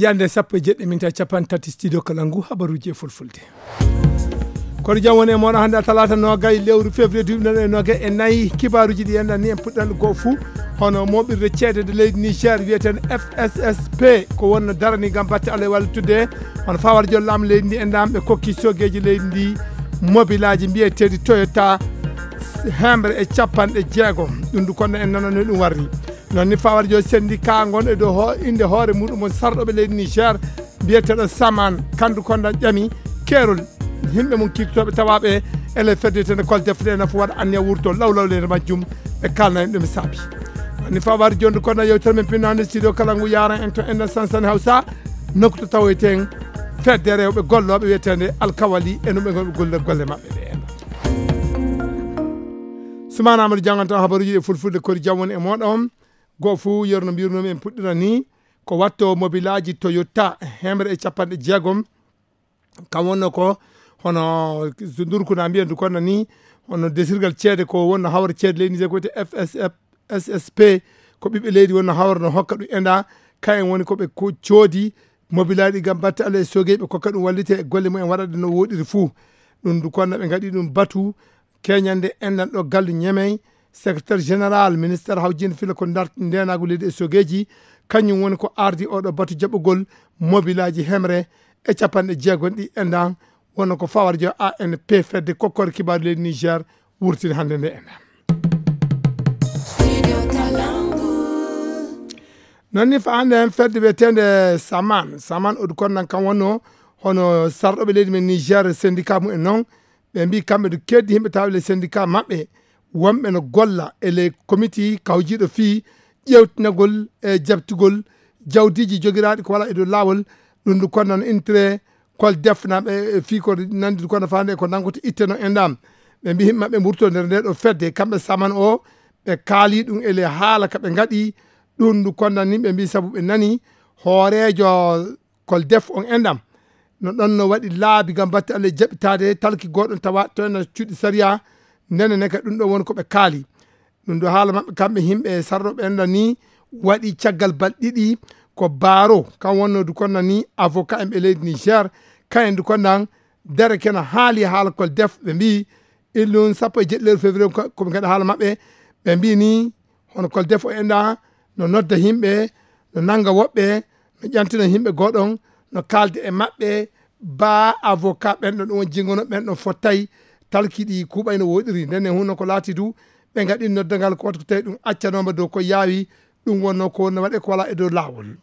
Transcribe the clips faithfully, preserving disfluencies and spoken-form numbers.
Yande sappo e jeɗɗi minti capanɗe tati, studio Kalangu, habaruji e fulfulde. Kono jam woni e moɗon hannde, talaata noogay lewru février duuɓi noon e noogay e nayi. Kibaaruji ɗi enɗan ni en puɗɗan ɗo goo fuu. Hono moɓirde ceede nde leydi Niger wiyeteende F S S P, ko wonno darani ngam batte Allah e wallittude. Hono fawar jol laamu leydi ndi enɗan ɓe kokki sogeeji leydi ndi mobilaaji mbiyeteeɗi Toyota hemre e capanɗe jeegom. Ɗum du kono en nanano ɗum warri. Noon ni fawar jol syndicat ngon e dow ho-, innde hoore muɗum on sarɗoɓe leydi Niger, mbiyeteeɗo Saman, kandu kondan ƴami keerol yimɓe mum kiirtotooɓe tawaaɓe e ley fedde wiyetende Koldef nde nafa waɗa anniya wurto lawlawleede majjum, ɓe kaalna en ɗum e saabi. Woni fawar jonde kono yewtere men pinnaande studio kala ngu yaran en to enɗan sansani Hawsa, nokku to tawoyten fedde rewɓe gollooɓe wiyetende Alkawali e no ɓe ngonɓe golle golle maɓɓe ɗe en. Sumana Amadou jannganto habaruji e fulfulde kori jam woni e moɗon. Goo fuu, yerno mbirnoomi en puɗɗira ni, ko watto mobilaaji Toyota hemre e capanɗe jeegom. Kam wonno ko hono ndurkuna mbiyen du kono ni, hono desirgal ceede ko wonno hawra ceede leydi Niger ko wiyetee F S F, S S P, ko ɓiɓɓe leydi wonno hawra no hokka ɗum enɗan. Kayen woni ko ɓe ko coodi mobilaaji ngam batte Allah e sogeeɓe kokka ɗum wallite e golle mumen waɗa ɗe no woɗiri fuu. Ɗum du kono ɓe ngaɗi ɗum batu keñande enɗan ɗo gallu Ñemey, secrétaire général ministère hawjinde fila ko ndarti ndeenaagu leydi e sogeeji, kañum woni ko ardi oɗo batu jaɓugol mobilaaji hemre e capanɗe jeegom ɗi enɗan, wonno ko fawar jo A N P fedde kokkore kibaaru leydi Niger wurtini hannde nde enɗan. Noon ni fa hannde heen fedde wiyeteende Saman, Saman oɗo konnan kam wonno hono sarɗoɓe leydi men Niger syndicat mumen noon, ɓe mbii kamɓe no keeddi yimɓe tawa le syndicat maɓɓe, wonɓe no golla e le comité kawjiiɗo fii ƴeewtinagol e jaɓtugol jawdiiji jogiraaɗi ko wala e dow laawol, ɗum ndu konnan intérêt kol defnaaɓe e fii ko nanndi kono faande ko nanngota itteno enɗan. Ɓe mbii yimɓe maɓɓe mburto nder nde ɗo fedde, kamɓe Saman o, ɓe kaali ɗum e le haala ka ɓe ngaɗi, ɗum ndu konnan ni ɓe mbii sabu ɓe nani hooreejo Koldef on enɗan. No ɗon no waɗi laabi ngam batte Allah jaɓitaade talki gooɗon tawa to ena cuuɗi sariya, ndene ne ka ɗum ɗo woni ko ɓe kaali. Ɗum ɗo haala maɓɓe kamɓe yimɓe sarɗoɓe enɗan ni waɗi caggal balɗe ɗiɗi ko Baro, kan wonno du konnan ni avocat en ɓe leydi Niger, kayen du konnan dere kena haali haala Koldef ɓe mbii illun sappo e jeɗɗi lewru février ko, ko ɓe ngaɗa haala maɓɓe. Ɓe mbii ni hono Koldef o enɗan no nodda yimɓe, no nannga woɓɓe, no ƴantina yimɓe gooɗon, no kaalda e maɓɓe, baa avocat ɓen ɗon, ɗum woni jinngono ɓen ɗon fottay talki ɗi kuuɓay no woɗiri. Nden ne hunno ko laati du, ɓe ngaɗi noddangal ko wata ko tawi ɗum accanooma dow ko yaawi, ɗum wonno ko wonno waɗe ko wala e dow laawol.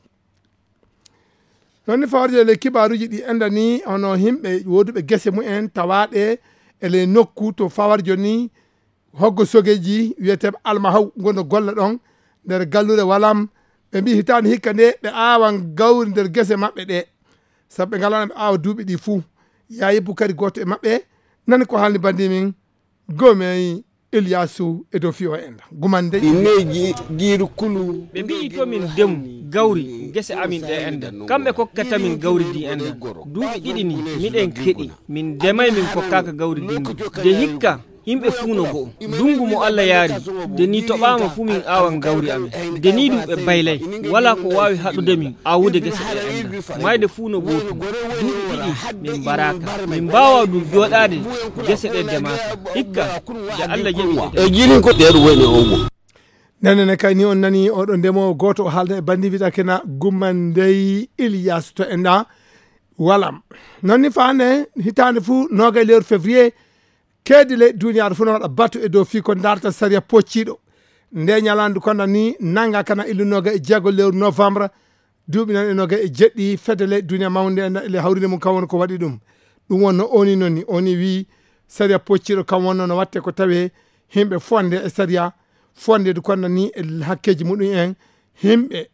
Noon ni fawarjo e ley kibaaruuji ɗi enɗan ni, hono yimɓe wooduɓe gese mumen tawaaɗe e ley nokku to fawarjo ni, hoggo sogeeji wiyeteeɓe Almahaw ngonno golla ɗon nder galluure Walam. Ɓe mbii hitaande hikka nde ɓe aawan gawri nder gese maɓɓe ɗe. Sabu ɓe ngalaa ɓe aawa duuɓi ɗi fuu. Yaayi Bukari gooto e maɓɓe nani ko haalni banndi min Gomey Iliyaasu e dow fii o enɗan. Gumande. Inneji giiru kulu. Ɓe mbi'i to min ndemu gawri gese amin ɗe enɗan. Kamɓe kokkata min gawri ndi enɗan. Duuɓi ɗiɗi ni miɗen keɗi. Min ndemay min kokkaaka gawri ndi. De hikka yimɓe fuu no go'o. Ndungu mo Allah yaari, de ni toɓaama fu min aawan gawri amin. De ni ɗum ɓe baylay. Walaa ko waawi haɗude min aawude gese ɗe enɗan. Mayde fuu no gootum. Duuɓi ɗiɗi min mbaraaka. Min mbaawaa ɗum jooɗaade gese ɗe ndemaaka. Hikka, de Allah jaɓi ɗe. E jirin ko ɗeeɗo woni o mo. Nden ne kay ni on nani oɗo ndemoowo gooto o haalda e banndi wiɗa kena Gumma Ndey Iliyaasu to enɗan Walam. Noon ni faande hitaande fuu noogay lewru février, keedi ley duniyaaru fuu no waɗa batu e dow fii ko ndaarta sariya pocciiɗo. Nde ñalaande kono ni nannga kana illu noogay e jeego lewru novembre, duuɓi nan e noogay e jeɗɗi fedde ley duniya mawnde e le hawrinde mum kan woni ko waɗi ɗum. Ɗum wonno oni noon ni, oni wii sariya pocciiɗo kan wonno no watte ko tawee yimɓe fonde e sariya, fonde du kono ni e hakkeeji muɗum en, yimɓe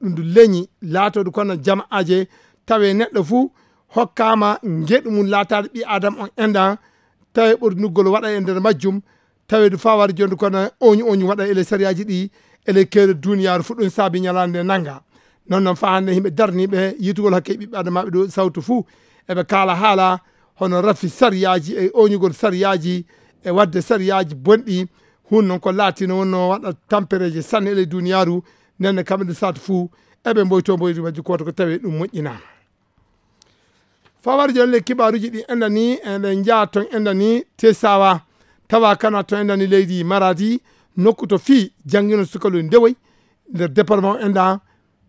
ɗum du leñi laatoodu kono jama'aaje, tawe neɗɗo fuu hokkaama ngeɗu mum laataade ɓii Aadama on enɗan, tawe ɓornuggol waɗa e nder majjum, tawe du faa wara jooni kono oñu oñu waɗa e ley sariyaaji ɗi, e ley keeri duniyaaru fuu ɗum saabi ñalaande nde nannga. Noon noon faa hannde yimɓe darniiɓe yiitugol hakke ɓiɓɓe Aadamaaɓe ɗo sawtu fuu, eɓe kaala haala hono rafi sariyaaji e oñugol sariyaaji e waɗde sariyaaji bonɗi, hun noon ko laatino wonno waɗa tampereeje sanne e ley duniyaaru, nden ne kamɓe nde saatu fuu eɓe mboyto mboyri majji koto ko tawi ɗum moƴƴinama. Fawar jonle kibaruji ɗi endani, eɗen jaa ton endani Tesawa, tawa kana ton endani leydi Maradi, nokku to fi jangino sukalu ndewoy nder département enda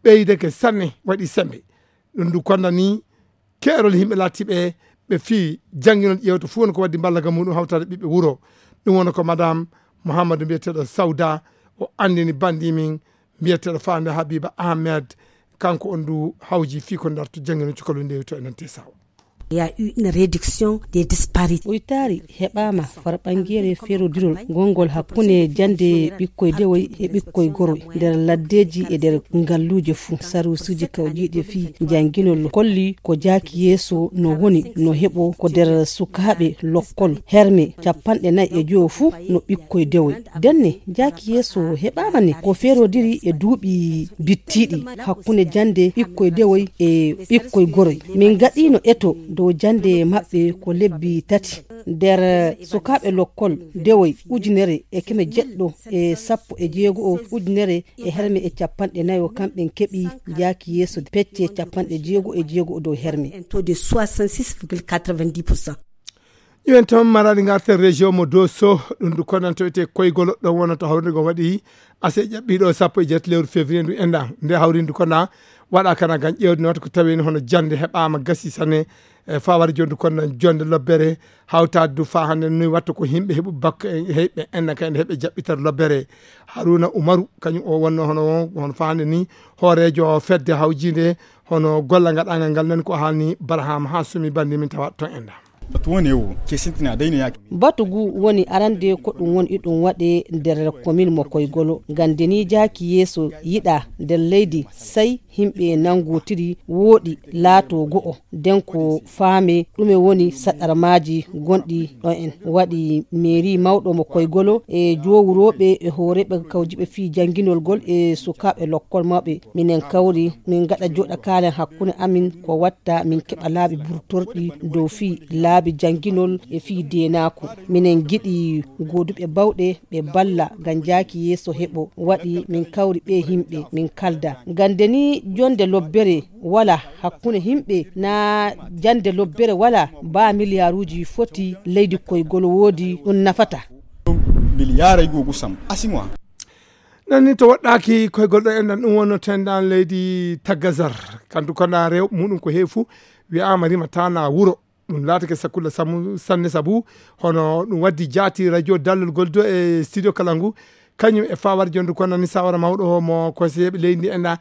ɓeydeke sanne, waɗi sembe. Ɗum ndu kondani keerol yimɓe laatiɓe ɓe fi jannginol ƴeewta fof woni ko waddi mballagol muɗum hawtaade ɓiɓɓe wuro. Ɗum woni ko madame Mouhamadou mbiyeteeɗo Sawda, o anndini banndi min mbiyeteeɗo Faande Habiba Ahmed. Kanko on ndu hawji fii ko ndartu jannginol cukalel ndewi to enen Tesawa. Il y a eu une réduction des disparités. Ɓoytaari heɓaama farɓangeere feerodirol gonngol hakkunde jannde ɓikkoy dewoy e ɓikkoy goroy nder laddeeji e nder ngalluuje fuu. Saruusuuji kawjiiɗi fii jannginol kolli ko jaaki yeeso no woni no heɓo ko nder sukaaɓe lokkol herme capanɗe nayi e jowo fuu no ɓikkoy dewoy. Ndenne jaaki yeeso heɓaama ne ko feerodiri e duuɓi bittiiɗi hakkunde jannde ɓikkoy dewoy e ɓikkoy goroy. Min ngaɗiino eto dow jannde maɓɓe ko lebbi tati. Nder sukaaɓe lokkol dewoy ujunere e keme jeɗɗo e sappo e jeego o ujunere e herme e capanɗe nayo, kamɓe keɓi jaaki yeeso pecce capanɗe jeego e jeego dow herme. Un taux de soixante-six virgule quatre-vingt-dix pour cent. Ƴiwen toon maraɗi ngarten région mo Dosso, ɗum ndu konanto wiyetee Koygolo, ɗon wonata hawrinde ko waɗi ase ƴaɓɓiiɗo sappo e jeetati lewru février ndu enɗan. Nde hawrinde ndu kona waɗa kana ngam ƴeewde noota ko tawi hono jannde heɓaama gasi sanne, e fawar jondu kono jonde lobbere hawtaade du faa hannde noy watta ko yimɓe heɓu bakka e heɓɓe enɗan kay ene heɓɓe jaɓɓitere lobbere. Haruna Umaru, kañum o wonno hono, hono faa hannde ni hooreejo fedde hawjiinde hono golla ngaɗaangal ngal nani ko haalni Barham Hasumi banndi min tawa toon enɗan. Batu woni o, ke sintina dayno yaaki. Batu ngu woni arande ko ɗum woni iɗum waɗe nder komin mo Koygolo. Ngam nde ni jaaki yeeso yiɗa nder leydi, sey yimɓe nangotiri wooɗi laato go'o. Nden ko faame ɗume woni saɗarmaaji gonɗi ɗo en. Waɗi meeri mawɗo mo Koygolo e jowurooɓe e hooreeɓe kawjiiɓe fii jannginol ngol e sukaaɓe lokkol mawɓe. Minen kawri, min ngaɗa jooɗa kaalen hakkunde amin ko watta min keɓa laabi burtorɗi dow fii laabi jannginol e fii deenaaku. Minen ngiɗi gooduɓe bawɗe ɓe balla ngam jaaki yeeso heɓo. Waɗi min kawri ɓe yimɓe, min kalda. Ngam nde ni jonde lobbere wala hakkunde yimɓe, na jande lobbere wala, ba miliyaaruuji foti leydi Koygolo woodi ɗum nafata. Miliyaara e goo gusam, asimoa. Nan ni to woɗɗaaki koygol ɗo enɗan ɗum wonno tendan leydi Tagazar. Kantu kona rew muɗum ko heefu wi'aama rimata na wuro. Ɗum laatake sakkulla samu-, sanne sabu hono ɗum waddi jaati radio dallol gol do e studio kala ngu. Kañum e fawar jondu kono ni sawara mawɗo o mo conseiller ɓe leydi ndi enɗa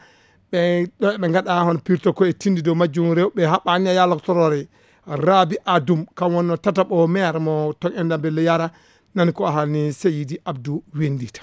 ɓe ɗo ɓe ngaɗa hono pirto ko e tindi dow majjum rewɓe haɓɓani e yalaktorore. Rabi Adum kam wonno tataɓo maire mo to enɗa belle yara nani ko ahani Seyidi Abdou Wendita.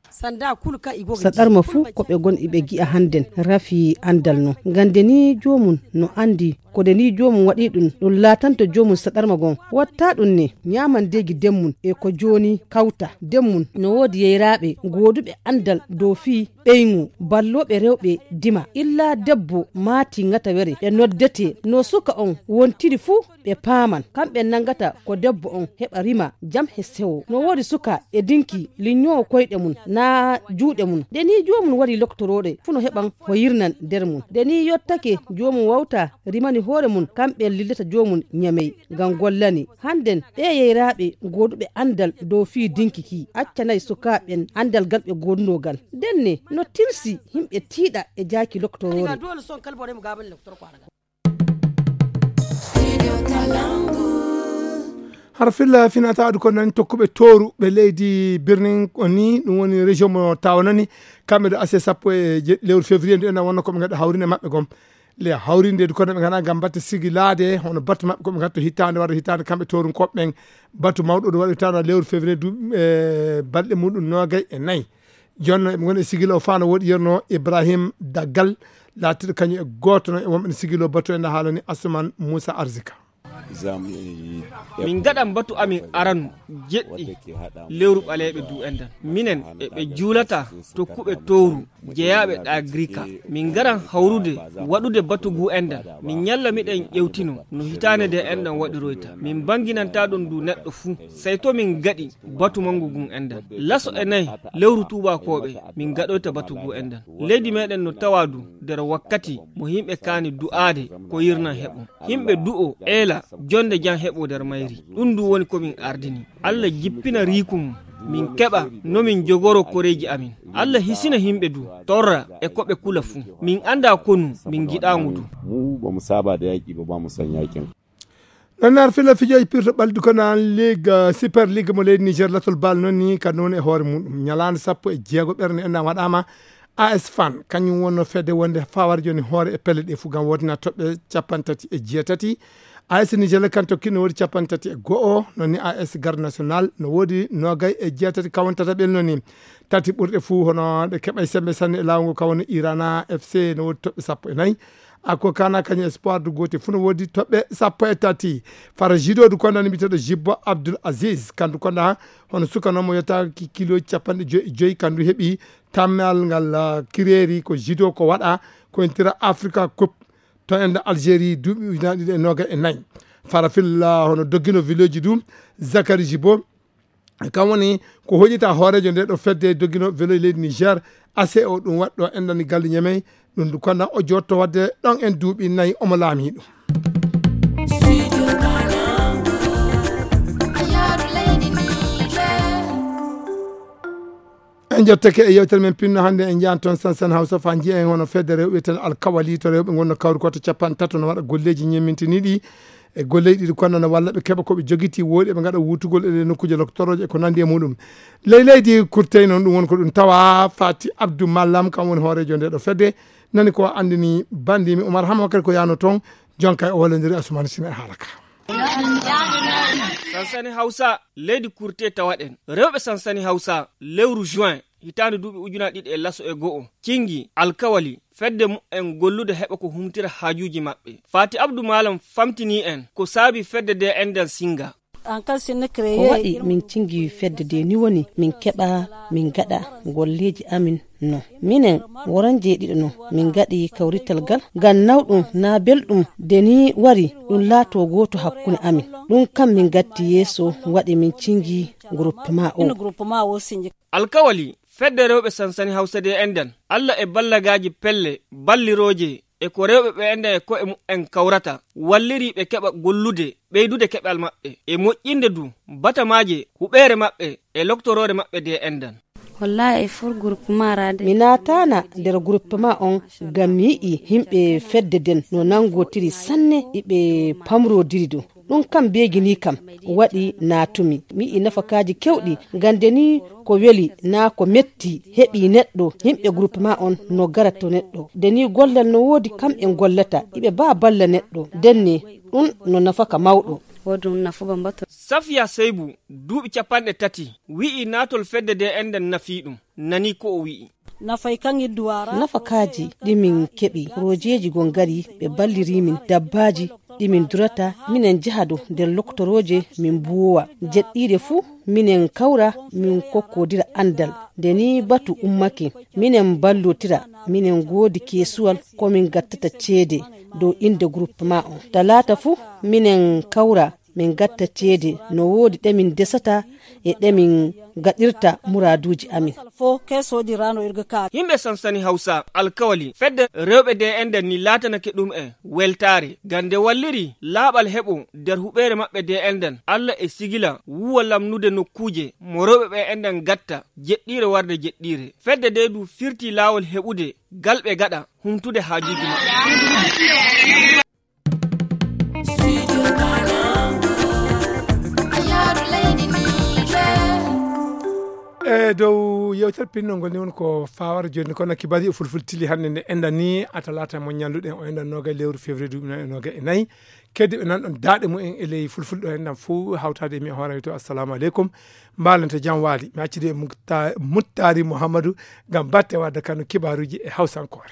Sanda kul ka igo ga saɗarma ji fuu ko ɓe gon iɓe gi'a hannden rafi anndal no. Ngam nde ni joomum no anndi ko nde ni joomum waɗi ɗum, ɗum laatanto joomum saɗarma gon. Watta ɗum ne ñaamandeegi demmum e ko jooni kawta. Demmum no woodi yeyraaɓe gooduɓe anndal dow fii ɓeyngu ballooɓe rewɓe dima. Illa debbo maati ŋatawere ɓe noddete no suka on wontiri fuu ɓe paaman. Kamɓe nanngata ko debbo on heɓa rima jam he sewo. No woodi suka e dinki liññoowo koyɗe mum naa juuɗe mum. Nde ni joomum waɗi loktorooɗe fuu no heɓan ko yirnan nder mum. Nde ni yottake joomum wawta rimani hoore mum, kamɓe lillata joomum ñamey ngam gollani. Hannden ɓee yeyraaɓe gooduɓe anndal dow fii dinki ki accanay sukaaɓen anndal gal ɓe goodunoo gal. Ndenne no tilsi yimɓe tiiɗa e jaaki loktoroore. Hara filla finataadu ko nan tokkuɓe tooru ɓe leydi Birnin ko ni ɗum woni région mo tawanani kamɓe ɗo asse sappo e jeɗɗi lewru février ndu ena wonno ko ɓe ngaɗa hawrinde maɓɓe gom. Le hawrinde du kono ɓe ngana ngam batte sigilaade hono batte maɓɓe ko ɓe ngatto hitaande wara hitaande kamɓe toorunkooɓe ɓen. Batu mawɗo ɗo waɗi hitaande lewru février du e balɗe muɗum noogay e nayi. Jonno eɓe ngoni e sigilo o fano woɗi yerno Ibrahim Daggal laatiɗo kañum e gooto no e wonɓe no sigilo batu en haalani Asuman Moussa Arzika. Min ngaɗan batu amin aranu jeɗɗi lewru ɓaleeɓe du enɗan. Minen e ɓe juulata tokkuɓe towru jeyaaɓe ɗa Girika. Min ngaran hawrude waɗude batu gu enɗan. Min ñalla miɗen ƴewtino no hitaande nde enɗan waɗiroyta. Min mbanginanta ɗon du neɗɗo fuu. Sey to min ngaɗi batu manngu ngun enɗan. Laso e nayi lewru tuubaakooɓe min ngaɗoyta batu gu enɗan. Leydi meɗen no tawa du nder wakkati mo yimɓe kaani du'aade ko yirnan heɓo. Yimɓe du'o eela jonde jam heɓo nder mayri. Ɗum du woni ko min ardini. Allah jippina riiku mum. Min keɓa no min jogoro koreeji amin. Allah hisina yimɓe du torra e ko ɓe kula fuu. Min annda konu min ngiɗa ngu du. Mu ba mu saba da yaƙi ba, ba mu son yaƙin. Ɗon nar fila fijoji pirto ɓaldu ko nan ligue, eh, super ligue mo leydi Niger latol bal noon ni ka noon e hoore muɗum. Ñalaande sappo e jeego ɓernde enɗan waɗama. A S Fan kañum wonno fedde wonde fawar joni hoore e pelle ɗe fuu ngam wodina toɓɓe capanɗe tati e jeetati. A S Niger kan tokki no woodi capanɗe tati e go'o, noon ni A S Garde National no woodi nogay e jeetati kawon tataɓel noon ni. Tati ɓurɗe fuu hono ɗe keɓay sembe sanne e laawol ngol ka woni Irana F C no woodi toɓɓe sappo e nayi. Ako kana kañum espoir du gooti fuu no woodi toɓɓe sappo e tati. Fara judo du konda ni mbiteɗo Jibbo Abdul Aziz. Kandu konda hono suka noon mo yetta ki kilo capanɗe joyi e joyi kandu heɓi tammal ngal, ah, kireeri ko judo ko waɗa ko entira Africa Cup to enda Algérie duuɓi ujunaaji ɗiɗi e noga e nayi. Fara filla hono doggino village du Zakari Jibbo. Kam woni ko hoƴita hooreejo nde ɗo fedde doggino velo e leydi Niger, A C O ɗum waɗɗo enɗani galle Ñamey, ɗum du konna o jotto waɗde ɗon en duuɓi nayi omo laami ɗum. En jottake e yewtere men pinno hannde en njahan toon sansan Hawsa fa njiya en hono fedde rewɓe tan alkawali to rewɓe ngonno kawri ko to capanɗe tato no waɗa golleeji ñemmintiniiɗi e golleeji ɗiɗi kono no walla ɓe keɓa ko ɓe jogiti wooɗi ɓe ngaɗa wutugol e nokkuuje loktorooje e ko nanndi e muɗum. Ley leydi kurtey noon ɗum woni ko ɗum tawa Fati Abdou Mallam kam woni hooreejo nde ɗo fedde nani ko anndini bandimi Oumar Hama kadi ko yano toon jonka e o wallondiri Assoumani Sine e haala ka. Sansani Hawsa leydi kurte tawaɗen rewɓe sansani Hawsa lewru juin hitaande duuɓi ujunaaji ɗiɗi e laso e go'o cingi alkawali fedde mumen gollude heɓa ko humtira haajuuji maɓɓe. Fati Abdou Malam famtini en ko saabi fedde de enɗan singa. Ko waɗi min cingi fedde de ni woni min keɓa min gaɗa golleeji amin no minen woran jeeɗiɗo no min gaɗi kawrital gal ngam nawɗum na belɗum de ni wari ɗum laato gooto hakkunde amin. Ɗum kam min gatti yeeso waɗi min cingi groupement o. Alkawali fedde rewɓe sansani Hawsa de enɗan Allah e ballagaaji pelle ballirooje e ko rewɓe ɓe enɗan e ko'e mumen kawrata walliri ɓe keɓa gollude ɓeydude keɓal maɓɓe e moƴƴinde du batamaaje huɓeere maɓɓe e loktoroore maɓɓe de enɗan. Wallahi e fur groupement ra de. Mi naatana nder groupement on ngam mi yi'i himɓe fedde den no nangotiri sanne iɓe pamrodiri ɗum. Ɗum kam beegini kam waɗi naatumi. Mi yi'i nafakaaji kewɗi, ngam nde ni ko weli naa ko metti heɓi neɗɗo, yimɓe groupement on no gara to neɗɗo. Nde ni gollal no woodi kam en gollata, iɓe baa balla neɗɗo. Nden ni ɗum no nafaka mawɗo. Woodi ɗum nafu bambato. Safiya Seybu, duuɓi capanɗe tati, wi'i naatol fedde de enɗan nafii ɗum. Nani ko o wi'i. Nafakaaji ɗi min keɓi, porojeeji gon ngari, ɓe balliri min dabbaaji ɗi min durata, minen njaha dow nder loktorooje min mbuuwa. Jeɗɗiire fuu minen kawra min kokkodira anndal. Nde nii batu ummake, minen mballotira, minen ngoodi keesuwal ko min ngattata ceede dow innde groupement on. Talaata fuu minen kawra min ngatta ceede no woodi ɗe min ndesata e ɗe min ngaɗirta muraaduuji amin. Yimɓe sansani Hawsa alkawali fedde rewɓe de enɗan ni laatanake ɗum en weltaare ngam nde walliri laaɓal heɓo nder huɓeere maɓɓe de enɗan. Allah e sigila wuwa lamnude nokkuuje mo rewɓe ɓe enɗan ngatta jeɗɗiire warde jeɗɗiire. Fedde de du firti laawol heɓude gal ɓe gaɗa humtude haajuuji maɓɓe. E dow yewtere pinnol ngol ni woni ko fawara joni kono kibari e fulfulde tili hannde nde enɗan ni a talata mo ñalluɗen o enɗan noga e lewru février duuɓi noon e noga e nayi. Keddiɓe nan ɗon daaɗe mumen e ley fulfulde ɗo enɗan fof hawtade e mi e hoore to assalamu aleykum. Mbalante jam waali mi accidi e Mukta- muttari mouhammadou ngam batte wadde kano kibaruji e hawsankore.